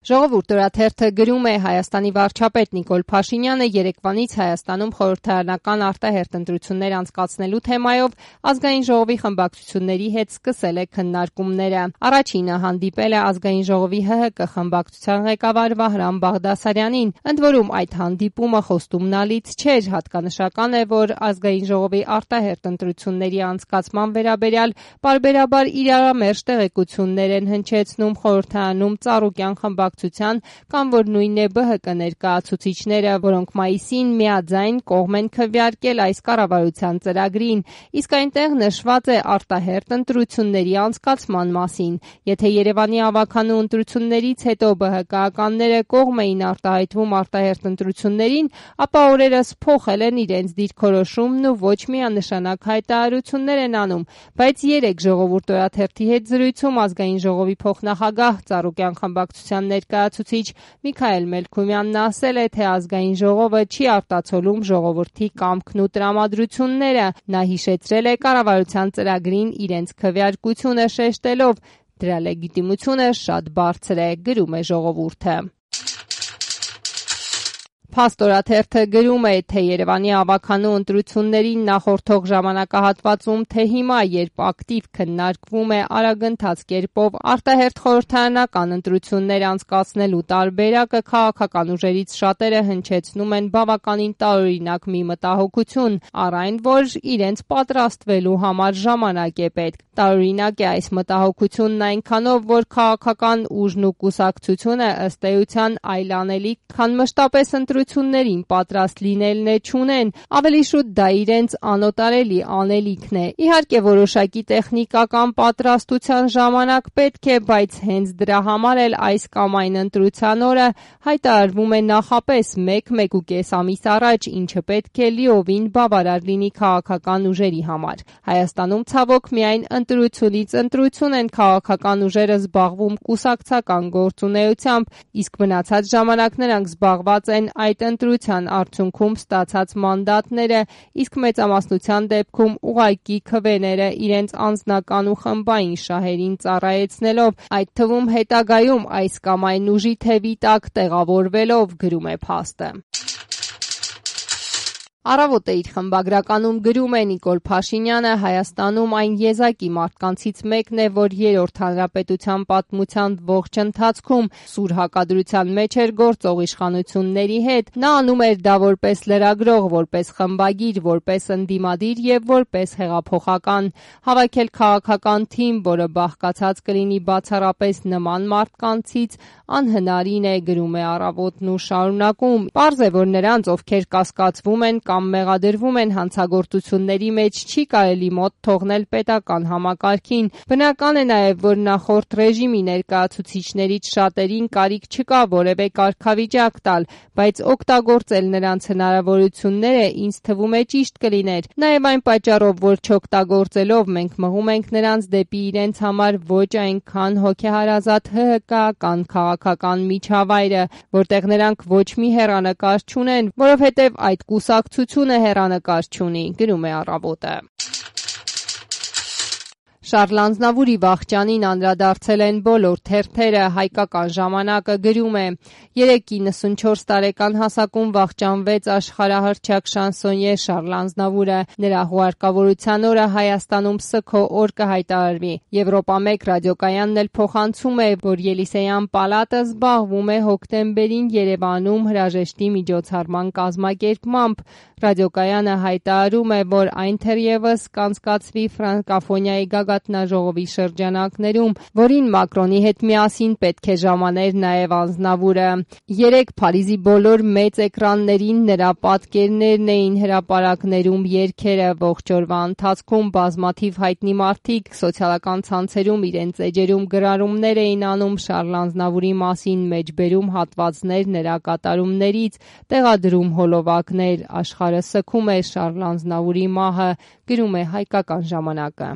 Ժողովուրդ օրաթերթը գրում է Հայաստանի վարչապետ Նիկոլ Փաշինյանը երեկվանից Հայաստանում խորհրդարանական արտահերթ ընտրություններ անցկացնելու թեմայով Ազգային ժողովի խմբակցությունների հետ սկսել է քննարկումները։ Առաջինը հանդիպել է Ազգային ժողովի ՀՀԿ խմբակցության ղեկավար Վահրամ Բաղդասարյանին, ընդ որում այդ հանդիպումը խոստումնալից չէր, հատկանշական է, որ Ազգային ժողովի արտահերթ ընտրությունների անցկացման վերաբերյալ պարբերաբար իրարամերժ տեղեկություններ են հնչեցնում խորհրդարանում Ծառուկյան խմբակցության կամ որ նույնն է ԲՀԿ ներկայացուցիչները, որոնք մայիսին միաձայն կողմ են քվեարկել այս կառավարության ծրագրին, իսկ այնտեղ նշված է արտահերթ ընտրությունների անցկացման մասին։ Եթե Երևանի ավականու ընտրություններից հետո ԲՀԿ-ականները կողմ էին արտահայտվում արտահերթ ընտրություններին, ապա օրերս փոխել են իրենց դիրքորոշումն ու ոչ միանշանակ հայտարարություններ են անում, բայց երեկ Ժողովուրդ օրաթերթի հետ զրույցում Ազգային ժողովի փոխնախագահ Ծառուկյան խմբակցության ներկայացուցիչ Միքայել Մելքումյանն ասել է, թե Ազգային ժողովը չի արտացոլում ժողովրդի կամքն ու տրամադրությունները։ Նա հիշեցրել է կառավարության ծրագրին իրենց քվեարկությունը շեշտելով. «Դրա լեգիտիմությունը շատ բարձր է», գրում է Ժողովուրդը։ Փաստ օրաթերթը գրում է, թե Երևանի ավականու ընտրություններին նախորդող ժամանակահատվածում, թե հիմա, երբ ակտիվ քննարկվում է արագընթաց կերպով արտահերթ խորհրդարանական ընտրություններ անցկացնելու տարբերակը, քաղաքական ուժերից շատերը հնչեցնում են բավականին տարօրինակ մի մտահոգություն, առ այն, որ իրենց պատրաստվելու համար ժամանակ է պետք։ Տարօրինակ է այս մտահոգությունն այնքանով, որ քաղաքական ուժն ու կուսակցությունը ըստ էության այլ անելիք, քան մշտապես ընտրություններին պատրաստ լինելն է չունեն, ավելի շուտ դա իրենց անօտարելի անելիքն է։ Իհարկե որոշակի տեխնիկական պատրաստության ժամանակ պետք է, բայց հենց դրա համար էլ այս կամ այն ընտրության օրը հայտարարվում է նախապես 1-1.5 ամիս առաջ, ինչը պետք է լիովին բավարար լինի քաղաքական ուժերի համար։ Հայաստանում ցավոք միայն ընտրությունից ընտրություն են քաղաքական ուժերը զբաղվում կուսակցական գործունեությամբ, իսկ մնացած ժամանակ նրանք զբաղված են այդ ընտրության արդյունքում ստացած մանդատները, իսկ մեծամասնության դեպքում ուղղակի քվեները իրենց անձնական ու խմբային շահերին ծառայեցնելով, այդ թվում հետագայում այս կամ այն ուժի թևի տակ տեղավորվելով, գրում է Փաստը։ Առավոտը իր խմբագրականում գրում է Նիկոլ Փաշինյանը, Հայաստանում այն եզակի մարդկանցից մեկն է, որ երրորդ հանրապետության պատմության ողջ ընթացքում սուր հակադրության մեջ էր գործող իշխանությունների հետ։ Նա անում էր դա որպես լրագրող, որպես խմբագիր, որպես ընդդիմադիր եւ որպես հեղափոխական։ Հավաքել քաղաքական թիմ, որը բաղկացած կլինի բացառապես նման մարդկանցից, անհնարին է, գրում է Առավոտն ու շարունակում. Պարզ է, որ նրանց, ովքեր կասկածվում են կամ մեղադրվում են հանցագործությունների մեջ, չի կարելի մոտ թողնել պետական համակարգին։ Բնական է նաև, որ նախորդ ռեժիմի ներկայացուցիչներից շատերին կարիք չկա որևէ կարգավիճակ տալ, բայց օգտագործել նրանց հնարավորությունները ինձ թվում է ճիշտ կլիներ։ Նաև այն պատճառով, որ չօգտագործելով մենք մղում ենք նրանց դեպի իրենց համար ոչ այնքան հոգեհարազատ ՀՀԿ-ական քաղաքական միջավայրը, որտեղ նրանք ոչ մի հեռանկար չունեն, որովհետև այդ կուսակցությունը հեռանկար չունի, գրում է Առավոտը։ Շարլ Ազնավուրի վախճանին անդրադարձել են բոլոր թերթերը, Հայկական ժամանակը գրում է. 94 տարեկան հասակում վախճանվեց աշխարհահռչակ շանսոնյե Շարլ Ազնավուրը։ Նրա հուարկավորության օրը Հայաստանում սգո օր կհայտարարվի։ Եվրոպա 1 ռադիոկայանն էլ փոխանցում է, որ Ելիսեյան պալատը զբաղվում է հոկտեմբերին Երևանում հրաժեշտի միջոցառման կազմակերպմամբ։ Ռադիոկայանը հայտարարում է, որ այն թերևս կանցկացվի ֆրանկաֆոնիայի գագաթնաժողովի շրջանակներում, որին Մակրոնի հետ միասին պետք է ժամաներ նաև Ազնավուրը։ Երեկ Փարիզի բոլոր մեծ էկրաններին նրա պատկերներն էին հրապարակներում երգերը։ Ողջ օրվա ընթացքում բազմաթիվ հայտնի մարդիկ սոցիալական ցանցերում իրենց էջերում գրառումներ էին անում Շարլ Ազնավուրի մասին, մեջբերում հատվածներ նրա կատարումներից, տեղադրում հոլովակներ։ Աշխարհը սգում է Շարլ Ազնավուրի մահը, գրում է Հայկական ժամանակը։